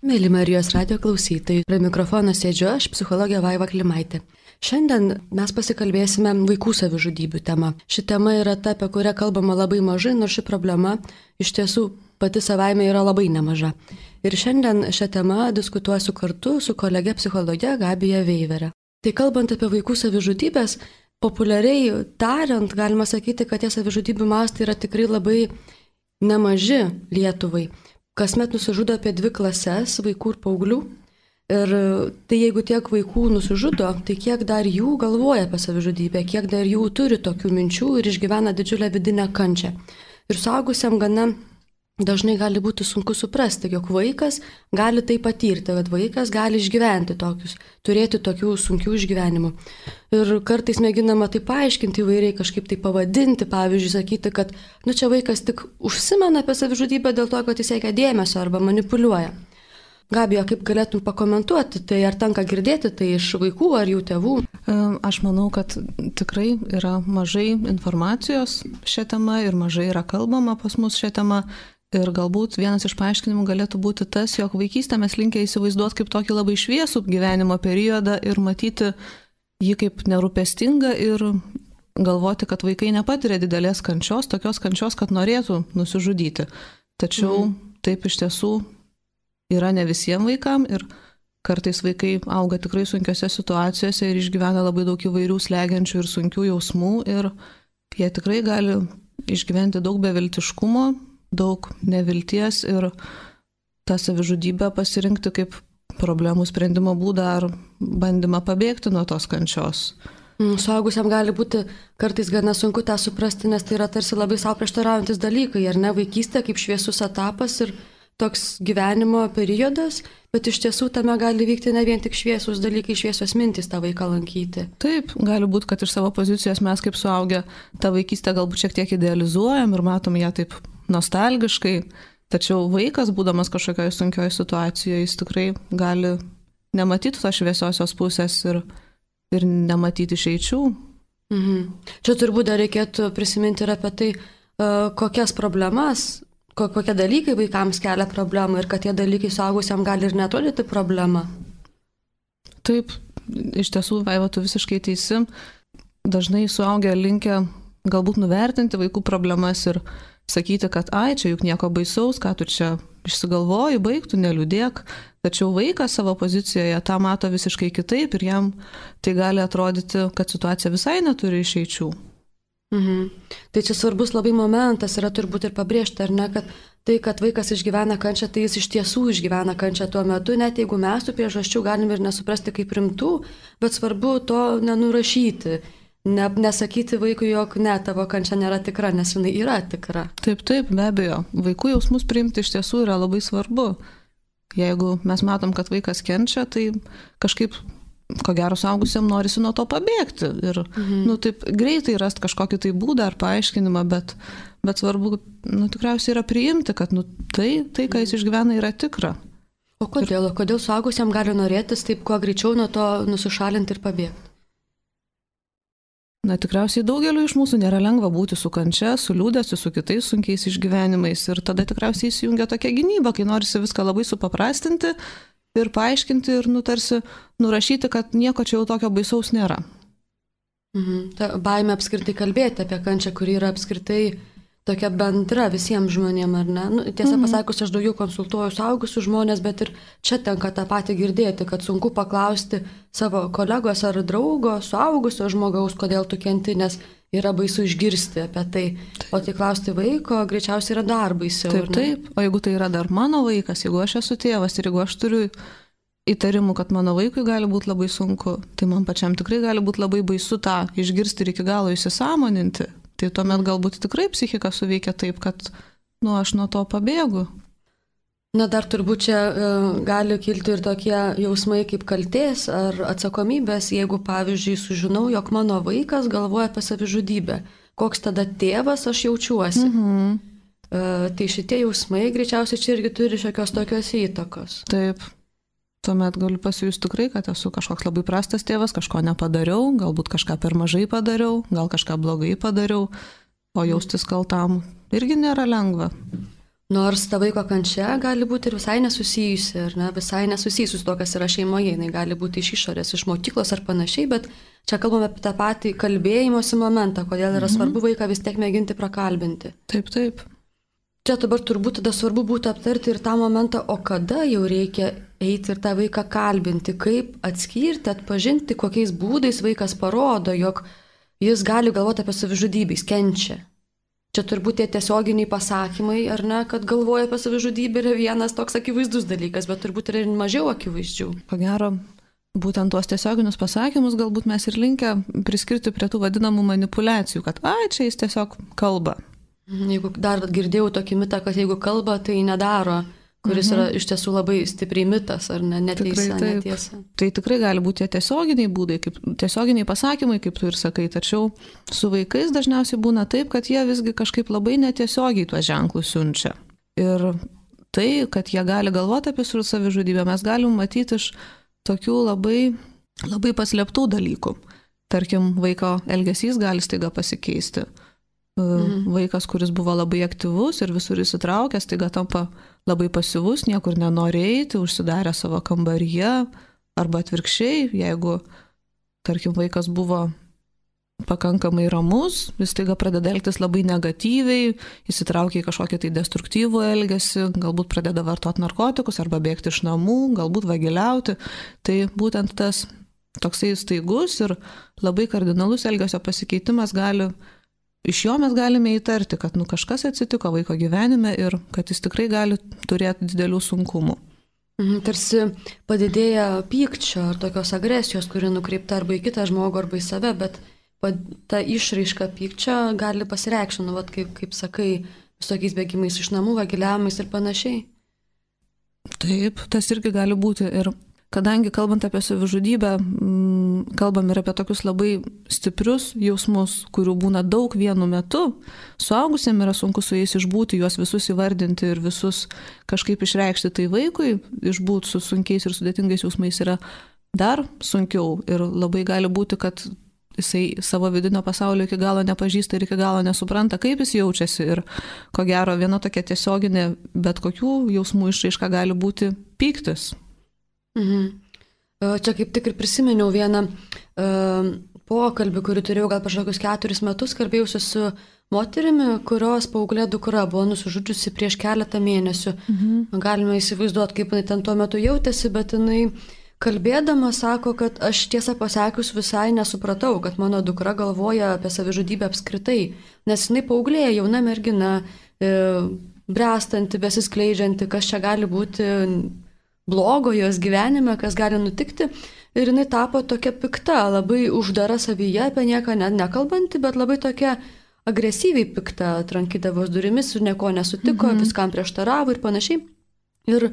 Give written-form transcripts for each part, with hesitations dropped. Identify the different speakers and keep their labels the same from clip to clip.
Speaker 1: Mėly Marijos radio klausytojai, prie mikrofono sėdžiu aš, psichologė Vaiva Klimaitė. Šiandien mes pasikalbėsime vaikų savižudybių tema. Ši tema yra ta, apie kurią kalbama labai mažai, nors ši problema iš tiesų pati savaime yra labai nemaža. Ir šiandien šią temą diskutuosiu kartu su kolege psichologe Gabija Veivere. Tai kalbant apie vaikų savižudybės, populiariai tariant, galima sakyti, kad tie savižudybių mastai yra tikrai labai nemaži Lietuvai. Kasmet nusižudo apie 2 klases vaikų ir paauglių. Ir tai jeigu tiek vaikų nusižudo, tai kiek dar jų galvoja apie savižudybę, kiek dar jų turi tokių minčių ir išgyvena didžiulę vidinę kančią. Ir suaugusiam gana dažnai gali būti sunku suprasti, jog vaikas gali tai patirti, kad vaikas gali išgyventi tokius, turėti tokių sunkių išgyvenimų. Ir kartais mėginama tai paaiškinti įvairiai, kažkaip tai pavadinti, pavyzdžiui, sakyti, kad čia vaikas tik užsimena apie savižudybę dėl to, kad jis siekia dėmesio arba manipuliuoja. Gabija, kaip galėtum pakomentuoti, tai ar tenka girdėti tai iš vaikų ar jų tėvų?
Speaker 2: Aš manau, kad tikrai yra mažai informacijos šią temą ir mažai yra kalbama pas mus šią temą. Ir galbūt vienas iš paaiškinimų galėtų būti tas, jog vaikystę mes linkę įsivaizduoti kaip tokį labai šviesų gyvenimo periodą ir matyti jį kaip nerūpestingą ir galvoti, kad vaikai nepatiria didelės kančios, tokios kančios, kad norėtų nusižudyti. Tačiau taip iš tiesų yra ne visiems vaikams ir kartais vaikai auga tikrai sunkiose situacijose ir išgyvena labai daug įvairių slegiančių ir sunkių jausmų ir jie tikrai gali išgyventi daug beviltiškumo, daug nevilties ir tą savižudybę pasirinkti kaip problemų sprendimo būdą ar bandymą pabėgti nuo tos kančios.
Speaker 1: Suaugusiam gali būti kartais gana sunku tą suprasti, nes tai yra tarsi labai savo prieštaraujantis dalykai, ar ne, vaikystė kaip šviesus etapas ir toks gyvenimo periodas, bet iš tiesų tame gali vykti ne vien tik šviesus dalykai, šviesios mintys tą vaiką lankyti.
Speaker 2: Taip, gali būti, kad iš savo pozicijos mes kaip suaugę tą vaikystę galbūt šiek tiek idealizuojam ir matom ją taip nostalgiškai, tačiau vaikas, būdamas kažkokioje sunkioje situacijoje, jis tikrai gali nematyti tos šviesiosios pusės ir nematyti išeičių.
Speaker 1: Čia turbūt dar reikėtų prisiminti ir apie tai, kokias problemas, kokie dalykai vaikams kelia problemą ir kad tie dalykai suaugusiam gali ir netolyti problemą.
Speaker 2: Taip, iš tiesų, Vaiva, tu visiškai teisi. Dažnai suaugę linkę galbūt nuvertinti vaikų problemas ir sakyti, kad čia juk nieko baisaus, ką tu čia išsigalvoji, baigtų, neliūdėk. Tačiau vaikas savo pozicijoje tą mato visiškai kitaip ir jam tai gali atrodyti, kad situacija visai neturi išeičių.
Speaker 1: Tai čia svarbus labai momentas yra turbūt ir pabrėžti, ar ne, kad tai, kad vaikas išgyvena kančią, tai jis iš tiesų išgyvena kančią tuo metu, net jeigu mes tų priežasčių galim ir nesuprasti kaip rimtų, bet svarbu to nenurašyti. Nesakyti vaikui, jog ne, tavo kančia nėra tikra, nes jinai yra tikra.
Speaker 2: Taip, be abejo. Vaikų jausmus priimti iš tiesų yra labai svarbu. Jeigu mes matom, kad vaikas kenčia, tai kažkaip, ko gero, suaugusiam norisi nuo to pabėgti. Ir taip greitai rasti kažkokį tai būdą ar paaiškinimą, bet svarbu, tikriausiai yra priimti, kad tai, ką jis išgyvena, yra tikra.
Speaker 1: O kodėl? Kodėl suaugusiam gali norėtis taip kuo greičiau nuo to nusišalinti ir pabėgti?
Speaker 2: Tikriausiai daugeliu iš mūsų nėra lengva būti su kančia, su liūdesiu, su kitais sunkiais išgyvenimais ir tada tikriausiai įsijungia tokia gynyba, kai norisi viską labai supaprastinti ir paaiškinti ir tarsi nurašyti, kad nieko čia jau tokio baisaus nėra.
Speaker 1: Ta baimė apskritai kalbėti apie kančią, kuri yra apskritai tokia bendra visiems žmonėms, ar ne? Tiesą pasakius, aš daugiau konsultuoju suaugusius žmonės, bet ir čia tenka tą patį girdėti, kad sunku paklausti savo kolegos ar draugo, suaugusio žmogaus, kodėl tu kenti, nes yra baisu išgirsti apie tai. O tai klausti vaiko greičiausiai yra dar baisiau.
Speaker 2: Taip. O jeigu tai yra dar mano vaikas, jeigu aš esu tėvas ir jeigu aš turiu įtarimų, kad mano vaikui gali būti labai sunku, tai man pačiam tikrai gali būti labai baisu tą išgirsti ir iki galo įsisąmoninti. Tai tuomet galbūt tikrai psichika suveikia taip, kad aš nuo to pabėgu.
Speaker 1: Dar turbūt čia gali kilti ir tokie jausmai kaip kaltės ar atsakomybės, jeigu, pavyzdžiui, sužinau, jog mano vaikas galvoja apie savižudybę. Koks tada tėvas aš jaučiuosi? Tai šitie jausmai greičiausiai čia irgi turi šiokios tokios įtakos.
Speaker 2: Taip. Tuomet galiu pasijusti tikrai, kad esu kažkoks labai prastas tėvas, kažko nepadariau, galbūt kažką per mažai padariau, gal kažką blogai padariau, o jaustis kaltam irgi nėra lengva.
Speaker 1: Nors ta vaiko kančia gali būti ir visai nesusijusi, ar ne, visai nesusijusi su to, kas yra šeimoje, jinai gali būti iš išorės, iš mokyklos ar panašiai, bet čia kalbame apie tą patį kalbėjimosi momentą, kodėl yra svarbu vaiką vis tiek mėginti prakalbinti.
Speaker 2: Taip, taip.
Speaker 1: Čia dabar turbūt tada svarbu būtų aptarti ir tą momentą, o kada jau reikia eiti ir tą vaiką kalbinti, kaip atskirti, atpažinti, kokiais būdais vaikas parodo, jog jis gali galvoti apie savižudybę, jis kenčia. Čia turbūt tie tiesioginiai pasakymai, ar ne, kad galvoja apie savižudybę yra vienas toks akivaizdus dalykas, bet turbūt yra ir mažiau akivaizdžių.
Speaker 2: Ko gero, būtent tuos tiesioginius pasakymus galbūt mes ir linkę priskirti prie tų vadinamų manipulacijų, kad čia jis tiesiog kalba.
Speaker 1: Jeigu dar girdėjau tokį mitą, kad jeigu kalba, tai nedaro, kuris yra iš tiesų labai stipriai mitas, ar ne, netiesa.
Speaker 2: Tai tikrai gali būti tie tiesioginiai būdai, tiesioginiai pasakymai, kaip tu ir sakai, tačiau su vaikais dažniausiai būna taip, kad jie visgi kažkaip labai netiesiogiai tuos ženklus siunčia. Ir tai, kad jie gali galvoti apie savižudybę, mes galim matyti iš tokių labai, labai paslėptų dalykų. Tarkim, vaiko elgesys gali staiga pasikeisti. Vaikas, kuris buvo labai aktyvus ir visur įsitraukęs, staiga tampa labai pasyvus, niekur nenori eiti, užsidarė savo kambaryje, arba atvirkščiai, jeigu, tarkim, vaikas buvo pakankamai ramus, jis staiga pradeda elgtis labai negatyviai, įsitraukia į kažkokį tai destruktyvų elgesį, galbūt pradeda vartoti narkotikus arba bėgti iš namų, galbūt vagiliauti. Tai būtent tas toksai staigus ir labai kardinalus elgesio pasikeitimas iš jo mes galime įtarti, kad kažkas atsitiko vaiko gyvenime ir kad jis tikrai gali turėti didelių sunkumų.
Speaker 1: Tarsi padidėja pykčio ar tokios agresijos, kuri nukreipta arba į kitą žmogų, arba į save, bet ta išraiška pykčio gali pasireikšti, kaip sakai, visokiais bėgimais iš namų, vagiliavimais ir panašiai.
Speaker 2: Taip, tas irgi gali būti. Ir kadangi kalbant apie savižudybę, kalbam ir apie tokius labai stiprius jausmus, kurių būna daug vienu metu, suaugusiem yra sunku su jais išbūti, juos visus įvardinti ir visus kažkaip išreikšti. Tai vaikui išbūti su sunkiais ir sudėtingais jausmais yra dar sunkiau ir labai gali būti, kad jisai savo vidinio pasaulio iki galo nepažįsta ir iki galo nesupranta, kaip jis jaučiasi. Ir ko gero, viena tokia tiesioginė bet kokių jausmų išraiška gali būti pyktis.
Speaker 1: Čia kaip tik ir prisiminiau vieną pokalbį, kurį turėjau gal prieš kokius 4 metus, kalbėjausi su moterimi, kurios paauglė dukra buvo nusižudžiusi prieš keletą mėnesių. Galime įsivaizduoti, kaip jinai ten tuo metu jautėsi, bet jinai kalbėdama sako, kad aš tiesą pasakius visai nesupratau, kad mano dukra galvoja apie savižudybę apskritai, nes jinai paauglė, jauna mergina, bręstanti, besiskleidžianti, kas čia gali būti blogo jos gyvenime, kas gali nutikti. Ir jinai tapo tokia pikta, labai uždara savyje, apie nieką nekalbanti, bet labai tokia agresyviai pikta, trankydavos durimis ir nieko nesutiko, viskam prieštaravo ir panašiai. Ir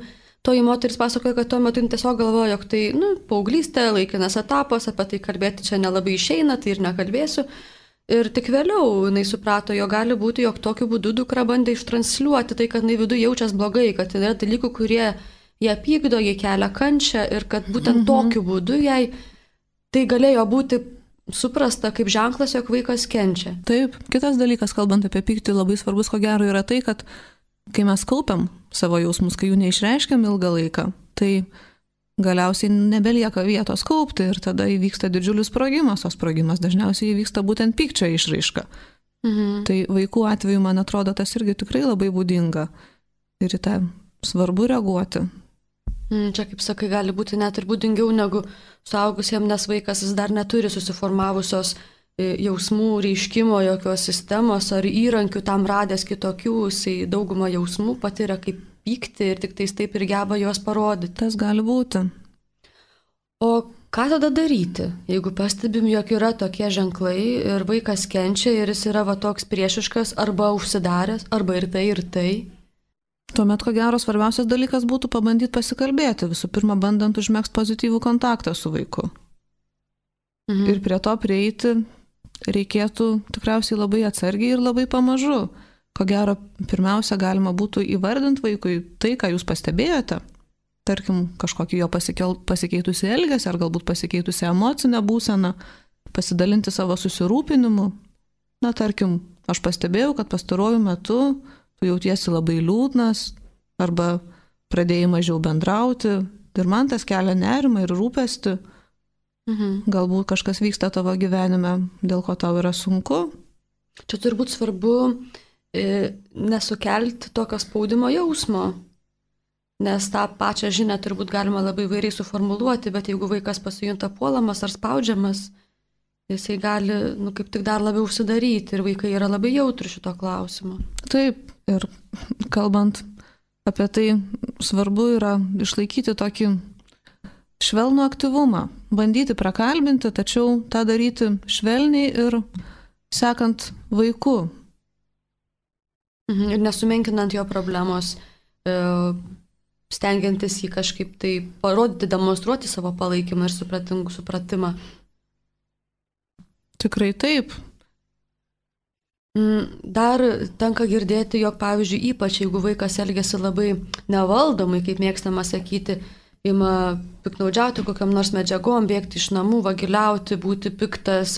Speaker 1: toji moteris pasakoja, kad tuo metu jin tiesiog galvoja, jog tai, paauglystė, laikinas etapas, apie tai kalbėti čia nelabai išeina, tai ir nekalbėsiu. Ir tik vėliau jinai suprato, jog gali būti, jog tokiu būdu dukra bandė ištransliuoti tai, kad jinai viduje jaučiasi blogai, kad yra dalykų, kurie ją pykdo, jai kelia kančią ir kad būtent tokiu būdu jai tai galėjo būti suprasta kaip ženklas, jog vaikas kenčia.
Speaker 2: Taip, kitas dalykas, kalbant apie pyktį, labai svarbus, ko gero, yra tai, kad kai mes kaupiam savo jausmus, kai jų neišreiškiam ilgą laiką, tai galiausiai nebelieka vietos kaupti ir tada įvyksta didžiulis sprogimas, o sprogimas dažniausiai įvyksta būtent pykčio išraiška. Tai vaikų atveju, man atrodo, tas irgi tikrai labai būdinga ir į tą svarbu reaguoti.
Speaker 1: Čia, kaip sakai, gali būti net ir būdingiau negu suaugusiems, nes vaikas jis dar neturi susiformavusios jausmų reiškimo, jokios sistemos ar įrankių tam radęs kitokių, jisai daugumą jausmų patiria kaip pykti ir tik taip ir geba juos parodyti.
Speaker 2: Tas gali būti.
Speaker 1: O ką tada daryti, jeigu pastebim, jog yra tokie ženklai ir vaikas kenčia ir jis yra toks priešiškas arba užsidaręs, arba ir tai?
Speaker 2: Tuomet, ko gero, svarbiausias dalykas būtų pabandyti pasikalbėti, visų pirma, bandant užmegzti pozityvų kontaktą su vaiku. Ir prie to prieiti reikėtų tikriausiai labai atsargiai ir labai pamažu. Ko gero, pirmiausia, galima būtų įvardinti vaikui tai, ką jūs pastebėjote. Tarkim, kažkokį jo pasikeitusi elgesį ar galbūt pasikeitusi emocinę būseną, pasidalinti savo susirūpinimu. Tarkim, aš pastebėjau, kad pastaruoju metu tu jautiesi labai liūdnas arba pradėjai mažiau bendrauti ir man tas kelia nerimą ir rūpestį. Galbūt kažkas vyksta tavo gyvenime, dėl ko tau yra sunku.
Speaker 1: Čia turbūt svarbu nesukelti tokio spaudimo jausmo, nes tą pačią žinią turbūt galima labai vairiai suformuluoti, bet jeigu vaikas pasijunta puolamas ar spaudžiamas, jisai gali, kaip tik dar labiau užsidaryti ir vaikai yra labai jautri šito klausimo.
Speaker 2: Taip, ir kalbant apie tai, svarbu yra išlaikyti tokį švelnų aktyvumą, bandyti prakalbinti, tačiau tą daryti švelniai ir sekant vaiku.
Speaker 1: Ir nesumenkinant jo problemos, stengiantis jį kažkaip tai parodyti, demonstruoti savo palaikymą ir supratimą.
Speaker 2: Tikrai taip.
Speaker 1: Dar tenka girdėti, jog, pavyzdžiui, ypač jeigu vaikas elgiasi labai nevaldomai, kaip mėgstama sakyti, ima piknaudžiauti kokiam nors medžiagom, bėgti iš namų, vagiliauti, būti piktas,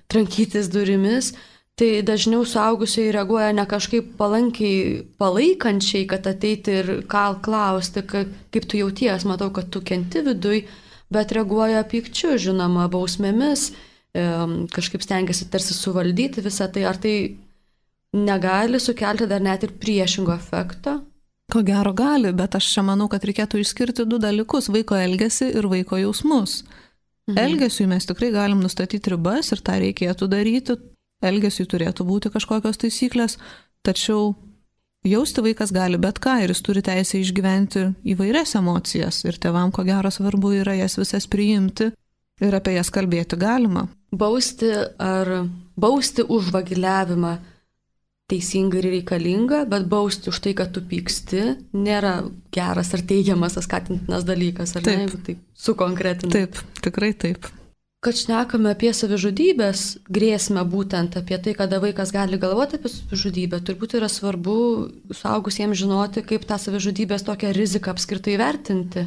Speaker 1: trankytis durimis, tai dažniau suaugusiai reaguoja ne kažkaip palankiai, palaikančiai, kad ateiti ir klausti, kaip tu jauties, matau, kad tu kenti viduj, bet reaguoja pykčiu, žinoma, bausmėmis, kažkaip stengiasi tarsi suvaldyti visą tai, ar tai negali sukelti dar net ir priešingo efekto?
Speaker 2: Ko gero gali, bet aš čia manau, kad reikėtų išskirti du dalykus - vaiko elgesį ir vaiko jausmus. Elgesiui mes tikrai galim nustatyti ribas ir tą reikėtų daryti. Elgesiui turėtų būti kažkokios taisyklės, tačiau jausti vaikas gali bet ką ir jis turi teisę išgyventi įvairias emocijas ir tėvam ko gero svarbu yra jas visas priimti ir apie jas kalbėti galima.
Speaker 1: Bausti už vagiliavimą teisinga ir reikalinga, bet bausti už tai, kad tu pyksti, nėra geras ar teigiamas, skatintinas dalykas, ar ne, jeigu taip sukonkretinti.
Speaker 2: Taip, tikrai taip.
Speaker 1: Kad šnekame apie savižudybės grėsmę, būtent apie tai, kada vaikas gali galvoti apie savižudybę, turbūt yra svarbu suaugusiems žinoti, kaip tą savižudybės tokią riziką apskritai vertinti.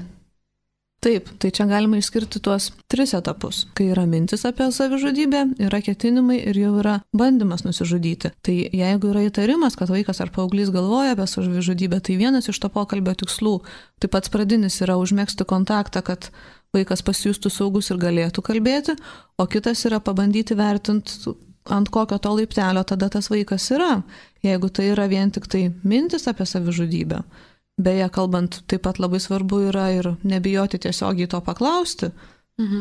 Speaker 2: Taip, tai čia galima išskirti tuos 3 etapus. Kai yra mintis apie savižudybę, yra ketinimai ir jau yra bandymas nusižudyti. Tai jeigu yra įtarimas, kad vaikas ar paauglys galvoja apie savižudybę, tai vienas iš to pokalbio tikslų, tai pats pradinis yra užmegzti kontaktą, kad vaikas pasijustų saugus ir galėtų kalbėti, o kitas yra pabandyti vertinti, ant kokio to laiptelio tada tas vaikas yra, jeigu tai yra vien tik tai mintis apie savižudybę. Beje, kalbant, taip pat labai svarbu yra ir nebijoti tiesiogiai to paklausti.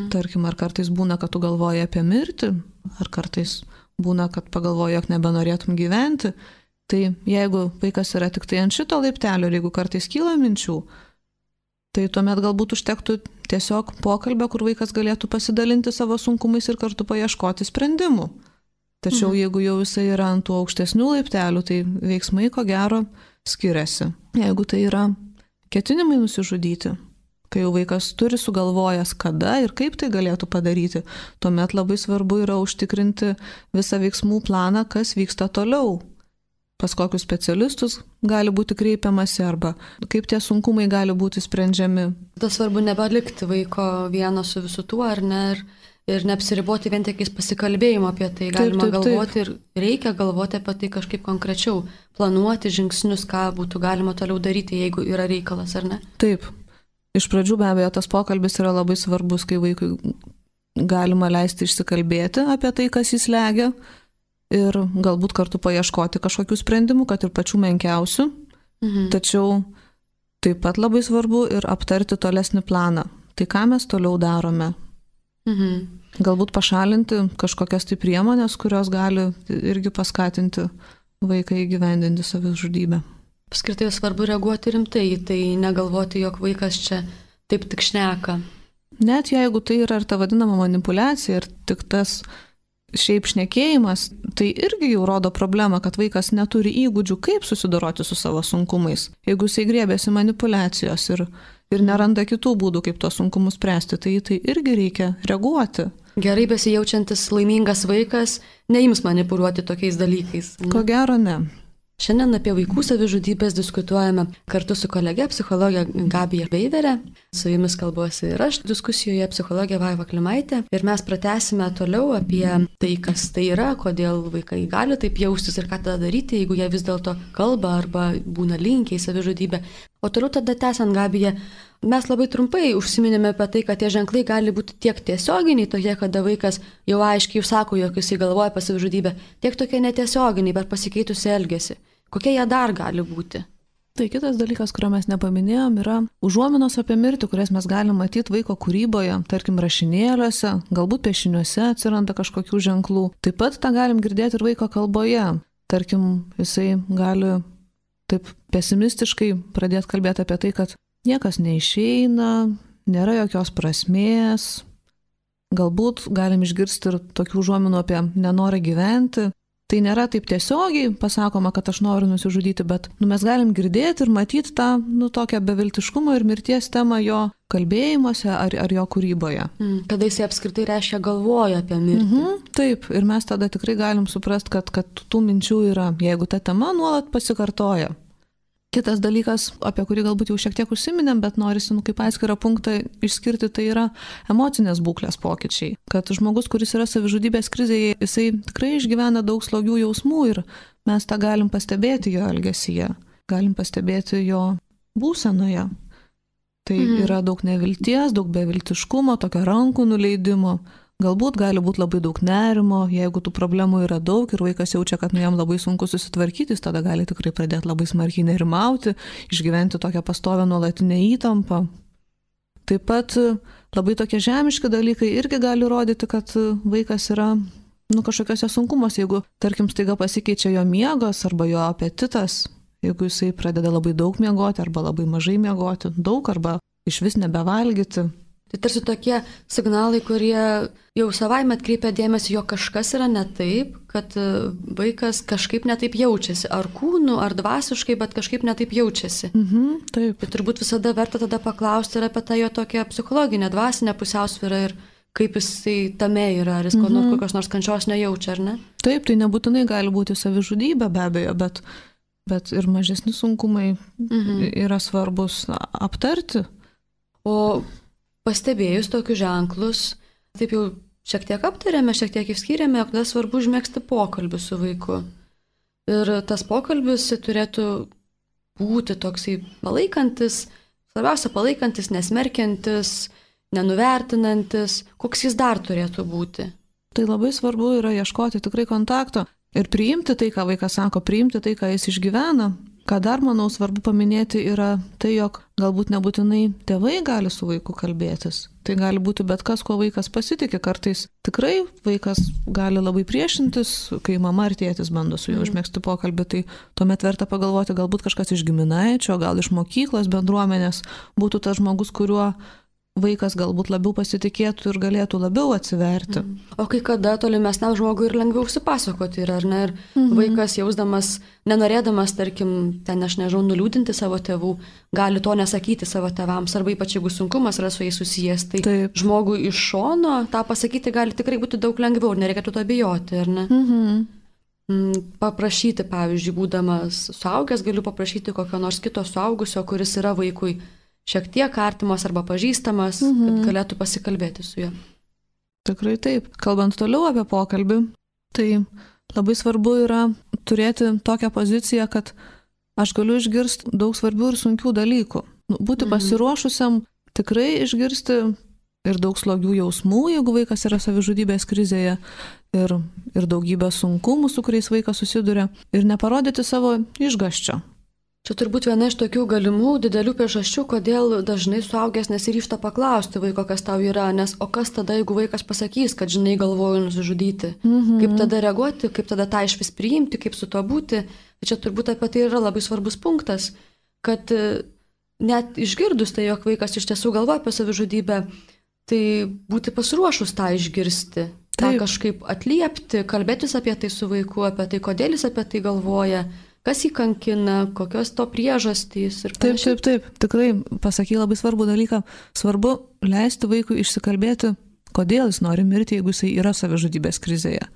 Speaker 2: Tarkim, ar kartais būna, kad tu galvoji apie mirtį, ar kartais būna, kad pagalvoji, jog nebenorėtum gyventi. Tai jeigu vaikas yra tik tai ant šito laiptelio ir jeigu kartais kyla minčių, tai tuomet galbūt užtektų tiesiog pokalbio, kur vaikas galėtų pasidalinti savo sunkumais ir kartu paieškoti sprendimų. Tačiau jeigu jau jisai yra ant tų aukštesnių laiptelių, tai veiksmai ko gero skiriasi. Jeigu tai yra ketinimai nusižudyti, kai jau vaikas turi sugalvojęs, kada ir kaip tai galėtų padaryti, tuomet labai svarbu yra užtikrinti visą veiksmų planą, kas vyksta toliau. Pas kokius specialistus gali būti kreipiamasi arba kaip tie sunkumai gali būti sprendžiami.
Speaker 1: Tas svarbu nebelikti vaiko vieno su visu tuo, ar ne, ir neapsiriboti vien tik pasikalbėjimo apie tai. Galima galvoti ir reikia galvoti apie tai kažkaip konkrečiau, planuoti žingsnius, ką būtų galima toliau daryti, jeigu yra reikalas, ar ne?
Speaker 2: Taip. Iš pradžių be abejo tas pokalbis yra labai svarbus, kai vaikui galima leisti išsikalbėti apie tai, kas jis slegia ir galbūt kartu paieškoti kažkokių sprendimų, kad ir pačių menkiausių. Tačiau taip pat labai svarbu ir aptarti tolesnį planą. Tai ką mes toliau darome? Galbūt pašalinti kažkokias tai priemonės, kurios gali irgi paskatinti vaiką įgyvendinti savižudybę.
Speaker 1: Apskritai svarbu reaguoti rimtai, tai negalvoti, jog vaikas čia taip tik šneka.
Speaker 2: Net jeigu tai yra ir ta vadinama manipulacija ir tik tas šiaip šnekėjimas, tai irgi jau rodo problemą, kad vaikas neturi įgūdžių, kaip susidoroti su savo sunkumais. Jeigu jisai grėbėsi manipulacijos ir neranda kitų būdų, kaip tos sunkumus spręsti, tai irgi reikia reaguoti.
Speaker 1: Gerai besijaučiantis laimingas vaikas neims manipuliuoti tokiais dalykais.
Speaker 2: Ko gero ne.
Speaker 1: Šiandien apie vaikų savižudybės diskutuojame kartu su kolege psichologė Gabija Beiverė. Su jumis kalbuosi ir aš diskusijoje psichologė Vaiva Klimaitė. Ir mes pratęsime toliau apie tai, kas tai yra, kodėl vaikai gali taip jaustis ir ką tada daryti, jeigu jie vis dėlto kalba arba būna linkę į savižudybę. O toliau tada tęsiant, Gabija, mes labai trumpai užsiminėme apie tai, kad tie ženklai gali būti tiek tiesioginiai, tokie, kada vaikas jau aiškiai sako, jog jis galvoja apie savižudybę, tiek tokie netiesioginiai, per pasikeitusią elgesį. Kokie jie dar gali būti?
Speaker 2: Tai kitas dalykas, kurio mes nepaminėjom, yra užuominos apie mirtį, kurias mes galim matyti vaiko kūryboje, tarkim rašinėliuose, galbūt piešiniuose atsiranda kažkokių ženklų. Taip pat tą galim girdėti ir vaiko kalboje. Tarkim, jisai gali taip pesimistiškai pradėti kalbėti apie tai, kad niekas neišeina, nėra jokios prasmės. Galbūt galim išgirsti ir tokių užuominų apie nenorą gyventi. Tai nėra taip tiesiogiai pasakoma, kad aš noriu nusižudyti, bet mes galim girdėti ir matyti tą tokią beviltiškumo ir mirties temą jo kalbėjimuose ar jo kūryboje.
Speaker 1: Kada jisai apskritai reiškia galvoja apie mirtį.
Speaker 2: Taip, ir mes tada tikrai galim suprasti, kad tų minčių yra, jeigu ta tema nuolat pasikartoja. Kitas dalykas, apie kurį galbūt jau šiek tiek užsiminėm, bet norisi kaip atskirą punktą išskirti, tai yra emocinės būklės pokyčiai. Kad žmogus, kuris yra savižudybės krizėje, jisai tikrai išgyvena daug slogių jausmų ir mes tą galim pastebėti jo elgesyje, galim pastebėti jo būsenoje. Tai yra daug nevilties, daug beviltiškumo, tokio rankų nuleidimo. Galbūt gali būti labai daug nerimo, jeigu tų problemų yra daug ir vaikas jaučia, kad jam labai sunku susitvarkyti, jis tada gali tikrai pradėti labai smarkiai nerimauti, išgyventi tokią pastovią nuolatinę įtampą. Taip pat labai tokie žemiški dalykai irgi gali rodyti, kad vaikas yra kažkokiuose sunkumuose, jeigu, tarkim, staiga pasikeičia jo miegas arba jo apetitas, jeigu jisai pradeda labai daug miegoti arba labai mažai miegoti, daug arba išvis nebevalgyti.
Speaker 1: Tai tarsi tokie signalai, kurie jau savaime atkreipia dėmesį, jog kažkas yra ne taip, kad vaikas kažkaip ne taip jaučiasi, ar kūnu, ar dvasiškai, bet kažkaip ne taip jaučiasi.
Speaker 2: Taip.
Speaker 1: Tai turbūt visada verta tada paklausti ir apie tą jo tokią psichologinę, dvasinę pusiausvyrą ir kaip jisai tame yra, ar jis kokios nors kančios nejaučia, ar ne?
Speaker 2: Taip, tai nebūtinai gali būti savižudybė be abejo, bet ir mažesni sunkumai yra svarbus aptarti.
Speaker 1: O pastebėjus tokius ženklus, taip jau šiek tiek aptarėme, šiek tiek išskyrėme, jog svarbu užmėgsti pokalbį su vaiku. Ir tas pokalbis turėtų būti toksai palaikantis, svarbiausia palaikantis, nesmerkiantis, nenuvertinantis. Koks jis dar turėtų būti?
Speaker 2: Tai labai svarbu yra ieškoti tikrai kontakto ir priimti tai, ką vaikas sako, priimti tai, ką jis išgyvena. Ką dar, manau, svarbu paminėti yra tai, jog galbūt nebūtinai tėvai gali su vaiku kalbėtis. Tai gali būti bet kas, kuo vaikas pasitikė. Kartais tikrai vaikas gali labai priešintis, kai mama ar tėtis bando su juo užmėgsti pokalbį. Tai tuomet verta pagalvoti, galbūt kažkas iš giminaičio, gal iš mokyklos bendruomenės būtų tas žmogus, kuriuo vaikas galbūt labiau pasitikėtų ir galėtų labiau atsiverti.
Speaker 1: O kai kada tolimesniam žmogui ir lengviau užsipasakoti yra, ar ne? Ir vaikas jausdamas, nenorėdamas, tarkim, ten aš nežinau, nuliūdinti savo tėvų, gali to nesakyti savo tėvams, arba ypač jeigu sunkumas yra su jais susijęs, tai taip, žmogui iš šono tą pasakyti gali tikrai būti daug lengviau ir nereikėtų to bijoti, ar ne? Paprašyti, pavyzdžiui, būdamas suaugęs, galiu paprašyti kokio nors kito suaugusio, kuris yra vaikui šiek tiek artimas arba pažįstamas, kad galėtų pasikalbėti su juo.
Speaker 2: Tikrai taip. Kalbant toliau apie pokalbį, tai labai svarbu yra turėti tokią poziciją, kad aš galiu išgirsti daug svarbių ir sunkių dalykų. Būti pasiruošusiam tikrai išgirsti ir daug slogių jausmų, jeigu vaikas yra savižudybės krizėje, ir daugybę sunkumų, su kuriais vaikas susiduria, ir neparodyti savo išgąsčio.
Speaker 1: Čia turbūt viena iš tokių galimų didelių priežasčių, kodėl dažnai suaugęs nesiryžta paklausti vaiko, kas tau yra, nes o kas tada, jeigu vaikas pasakys, kad žinai, galvoju nusižudyti, kaip tada reaguoti, kaip tada tą išvis priimti, kaip su to būti. Čia turbūt apie tai yra labai svarbus punktas, kad net išgirdus tai, jog vaikas iš tiesų galvoja apie savižudybę, tai būti pasiruošus tą išgirsti, tą kažkaip atliepti, kalbėtis apie tai su vaiku, apie tai, kodėl jis apie tai galvoja, kas jį kankina, kokios to priežastys ir panašiai.
Speaker 2: Taip. Tikrai pasakai labai svarbų dalyką. Svarbu leisti vaikui išsikalbėti, kodėl jis nori mirti, jeigu jisai yra savižudybės krizėje.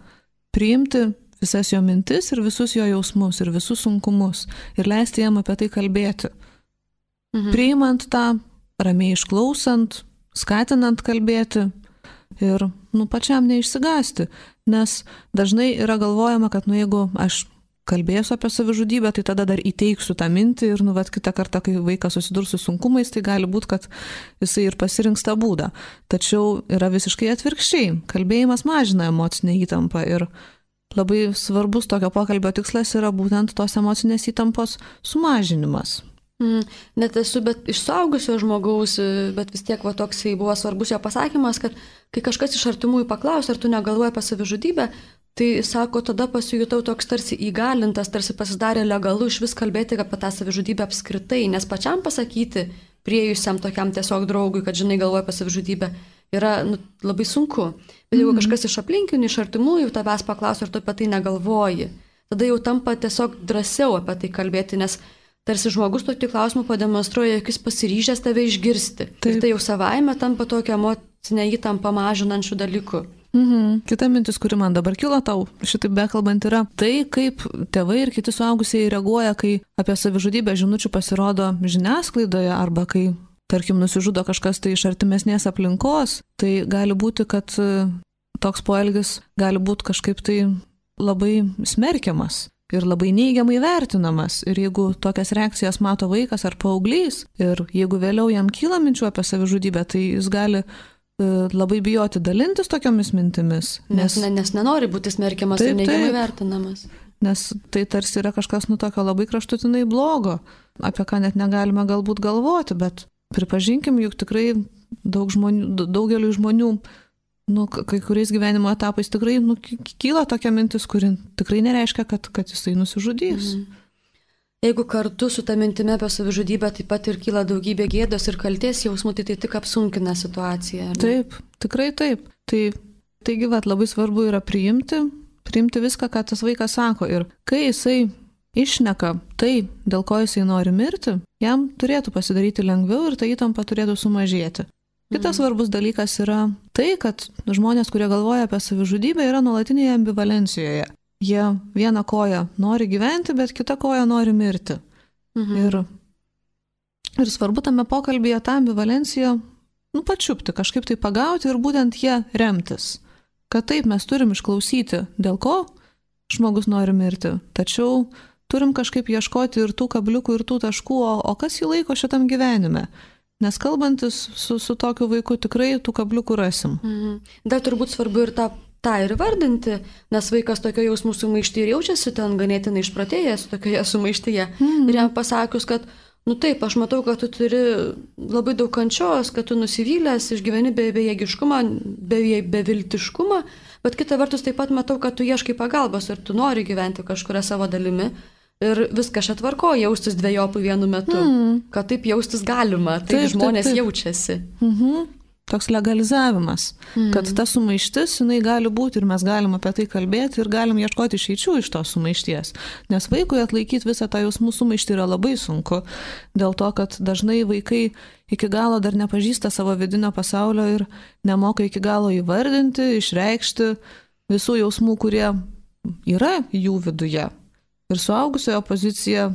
Speaker 2: Priimti visas jo mintis ir visus jo jausmus ir visus sunkumus ir leisti jam apie tai kalbėti. Priimant tą, ramiai išklausant, skatinant kalbėti ir pačiam neišsigąsti, nes dažnai yra galvojama, kad jeigu aš kalbėsiu apie savižudybę, tai tada dar įteiksiu tą mintį ir kitą kartą, kai vaikas susidurs su sunkumais, tai gali būti, kad jisai ir pasirinks tą būdą. Tačiau yra visiškai atvirkščiai. Kalbėjimas mažina emocinę įtampą ir labai svarbus tokio pokalbio tikslas yra būtent tos emocinės įtampos sumažinimas.
Speaker 1: Net esu iš suaugusio žmogaus, bet vis tiek toksai buvo svarbus jo pasakymas, kad kai kažkas iš artimųjų paklausė, ar tu negalvoji apie savižudybę, tai sako, tada pasijutau toks tarsi įgalintas, tarsi pasidarė legalu iš vis kalbėti apie tą savižudybę apskritai, nes pačiam pasakyti priejusiam tokiam tiesiog draugui, kad žinai galvoja apie savižudybę, yra labai sunku. Bet jeigu kažkas iš aplinkinių, iš artimųjų tavęs paklausia, ar tu apie tai negalvoji, tada jau tampa tiesiog drąsiau apie tai kalbėti, nes tarsi žmogus tokį klausimą pademonstruoja, jog jis pasiryžęs tave išgirsti. Taip. Ir tai jau savaime tampa tokia emocinė įtampa mažinančių dalykų.
Speaker 2: Kita mintis, kuri man dabar kilo tau, šitaip bekalbant, yra tai, kaip tėvai ir kiti suaugusieji reaguoja, kai apie savižudybę žinučių pasirodo žiniasklaidoje arba kai, tarkim, nusižudo kažkas tai iš artimesnės aplinkos. Tai gali būti, kad toks poelgis gali būti kažkaip tai labai smerkiamas ir labai neigiamai vertinamas. Ir jeigu tokias reakcijas mato vaikas ar paauglys ir jeigu vėliau jam kyla minčių apie savižudybę, tai jis gali labai bijoti dalintis tokiomis mintimis.
Speaker 1: Nes nenori būti smerkiamas ir neigiamai vertinamas.
Speaker 2: Nes tai tarsi yra kažkas tokio labai kraštutinai blogo, apie ką net negalime galbūt galvoti, bet pripažinkim, juk tikrai daugeliu žmonių, kai kuriais gyvenimo etapais tikrai kyla tokia mintis, kuri tikrai nereiškia, kad jisai nusižudys.
Speaker 1: Jeigu kartu su ta mintimi apie savižudybę taip pat ir kyla daugybė gėdos ir kaltės jausmų, tai tik apsunkina situaciją.
Speaker 2: Taip, tikrai taip. Taigi labai svarbu yra priimti viską, ką tas vaikas sako. Ir kai jisai išneka tai, dėl ko jisai nori mirti, jam turėtų pasidaryti lengviau ir ta įtampa turėtų sumažėti. Kitas svarbus dalykas yra tai, kad žmonės, kurie galvoja apie savižudybę, yra nuolatinėje ambivalencijoje. Jie vieną koją nori gyventi, bet kitą koją nori mirti. Ir svarbu tame pokalbėje tą ambivalenciją pačiupti, kažkaip tai pagauti ir būtent jie remtis. Kad taip mes turim išklausyti, dėl ko žmogus nori mirti, tačiau turim kažkaip ieškoti ir tų kabliukų, ir tų taškų, o kas jį laiko šitam gyvenime. Nes kalbantis su tokiu vaiku tikrai tų kabliukų rasim.
Speaker 1: Dar turbūt svarbu ir tą ir vardinti, nes vaikas tokio jausmų sumaištyje ir jaučiasi ten ganėtinai išprotėjęs tokioje sumaištyje. Ir jam pasakius, kad, taip, aš matau, kad tu turi labai daug kančios, kad tu nusivylęs, išgyveni bejėgiškumą, beviltiškumą, bet kita vertus taip pat matau, kad tu ieškai pagalbos ir tu nori gyventi kažkuria savo dalimi. Ir viskas čia tvarko, jaustis dvejopų vienu metu, kad taip jaustis galima, taip žmonės jaučiasi.
Speaker 2: Toks legalizavimas, kad ta sumaištis, jinai gali būti ir mes galim apie tai kalbėti ir galim ieškoti išeičių iš tos sumaišties. Nes vaikui atlaikyti visą tą jausmų sumaištį yra labai sunku, dėl to, kad dažnai vaikai iki galo dar nepažįsta savo vidinio pasaulio ir nemoka iki galo įvardinti, išreikšti visų jausmų, kurie yra jų viduje. Ir suaugusiojo pozicija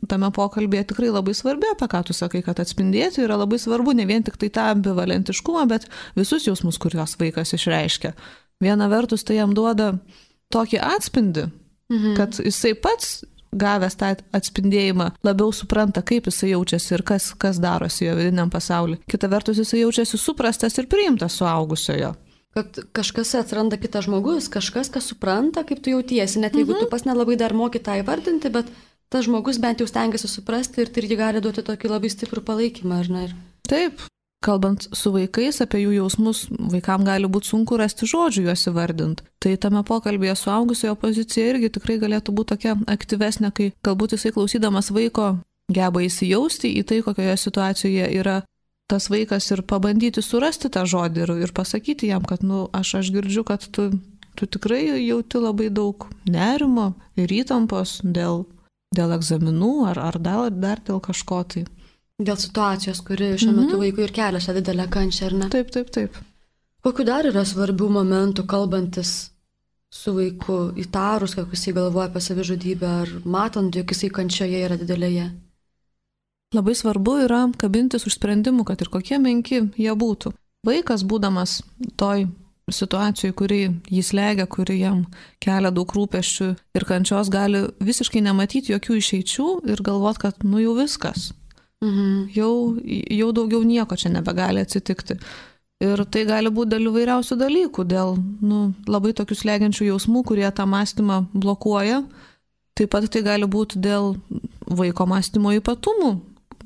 Speaker 2: tame pokalbėje tikrai labai svarbi, apie ką tu sakai, kad atspindėti yra labai svarbu ne vien tik tai tą ambivalentiškumą, bet visus jausmus, kuriuos vaikas išreiškia. Viena vertus tai jam duoda tokį atspindį, kad jisai pats gavęs tą atspindėjimą labiau supranta, kaip jisai jaučiasi ir kas darosi jo vidiniam pasauliu. Kita vertus jisai jaučiasi suprastas ir priimtas suaugusiojo.
Speaker 1: Kad kažkas atsiranda kitas žmogus, kažkas, kas supranta, kaip tu jautiesi, net jeigu tu pas nelabai dar moki tą įvardinti, bet tas žmogus bent jau stengiasi suprasti ir tai irgi gali duoti tokį labai stiprų palaikymą, ar ne?
Speaker 2: Taip, kalbant su vaikais apie jų jausmus, vaikam gali būti sunku rasti žodžių juos įvardinti. Tai tame pokalbėje suaugusiojo pozicija irgi tikrai galėtų būti tokia aktyvesnė, kai galbūt jisai klausydamas vaiko geba įsijausti į tai, kokioje situacijoje yra tas vaikas ir pabandyti surasti tą žodį ir pasakyti jam, kad aš girdžiu, kad tu tikrai jauti labai daug nerimo ir įtampos dėl egzaminų ar dar dėl kažko tai.
Speaker 1: Dėl situacijos, kuri šiuo metu vaikui ir kelia šią didelę kančią, ar ne?
Speaker 2: Taip.
Speaker 1: Kokiu dar yra svarbių momentų kalbantis su vaiku, įtarus, kad jisai galvoja apie savižudybę, ar matant, jog jisai kančioje yra didelėje?
Speaker 2: Labai svarbu yra kabintis už sprendimų, kad ir kokie menki jie būtų. Vaikas, būdamas toj situacijai, kuri jį slegia, kuri jam kelia daug rūpesčių ir kančios, gali visiškai nematyti jokių išeičių ir galvot, kad jau viskas. Jau daugiau nieko čia nebegali atsitikti. Ir tai gali būti dėl įvairiausių dalykų, dėl labai tokių slegiančių jausmų, kurie tą mąstymą blokuoja. Taip pat tai gali būti dėl vaiko mąstymo ypatumų,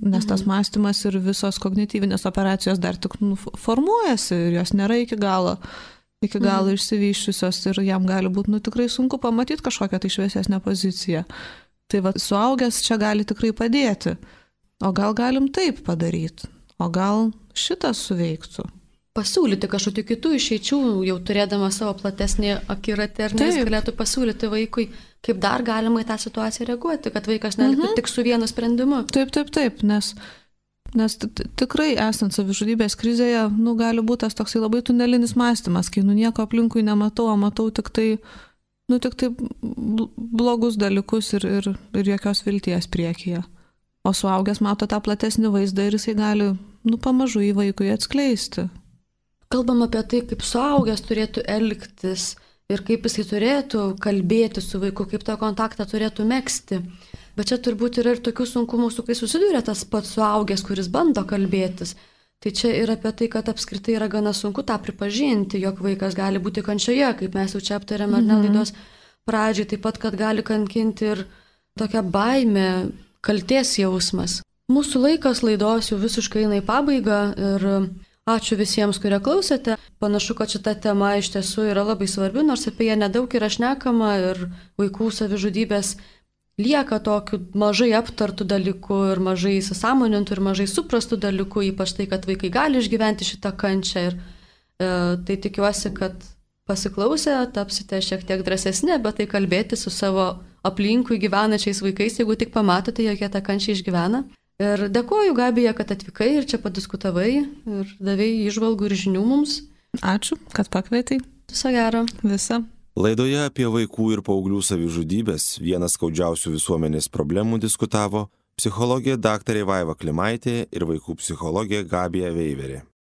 Speaker 2: nes tas mąstymas ir visos kognityvinės operacijos dar tik formuojasi ir jos nėra iki galo išsivyščiusios ir jam gali būti tikrai sunku pamatyti kažkokią tai šviesesnę poziciją. Tai suaugęs čia gali tikrai padėti. O gal galim taip padaryti? O gal šitas suveiktų?
Speaker 1: Pasiūlyti kažkokių kitų išeičių, jau turėdama savo platesnį akiratį, ar ne, jis galėtų pasiūlyti vaikui, kaip dar galima į tą situaciją reaguoti, kad vaikas neliktų tik su vienu sprendimu.
Speaker 2: Taip, nes tikrai esant savižudybės krizėje, gali būti tas toksai labai tunelinis mąstymas, kai nieko aplinkui nematau, o matau tik tai blogus dalykus ir jokios vilties priekyje. O suaugęs mato tą platesnį vaizdą ir jisai gali pamažu į vaikui atskleisti.
Speaker 1: Kalbam apie tai, kaip suaugęs turėtų elgtis ir kaip jisai turėtų kalbėti su vaiku, kaip tą kontaktą turėtų megzti. Bet čia turbūt yra ir tokių sunkumų, su kai susiduria tas pats suaugęs, kuris bando kalbėtis. Tai čia ir apie tai, kad apskritai yra gana sunku tą pripažinti, jog vaikas gali būti kančioje, kaip mes jau čia aptarėme ar ne laidos pradžiai, taip pat, kad gali kankinti ir tokia baimė, kaltės jausmas. Mūsų laikas laidos jau visiškai eina į pabaigą ir ačiū visiems, kurie klausėte. Panašu, kad šita tema iš tiesų yra labai svarbi, nors apie ją nedaug yra šnekama ir vaikų savižudybės lieka tokių mažai aptartų dalykų ir mažai įsisąmonintų ir mažai suprastų dalykų, ypač tai, kad vaikai gali išgyventi šitą kančią. Ir tai tikiuosi, kad pasiklausę tapsite šiek tiek drąsesni apie tai kalbėti su savo aplinkui gyvenančiais vaikais, jeigu tik pamatote, jog jie tą kančią išgyvena. Ir dėkoju, Gabija, kad atvykai ir čia padiskutavai ir davėjai įžvalgų ir žinių mums.
Speaker 2: Ačiū, kad pakvietei.
Speaker 1: Viso gero.
Speaker 2: Visa.
Speaker 3: Laidoje apie vaikų ir paauglių savižudybės, vienas skaudžiausių visuomenės problemų, diskutavo psichologė daktarė Vaiva Klimaitė ir vaikų psichologė Gabija Veiverė.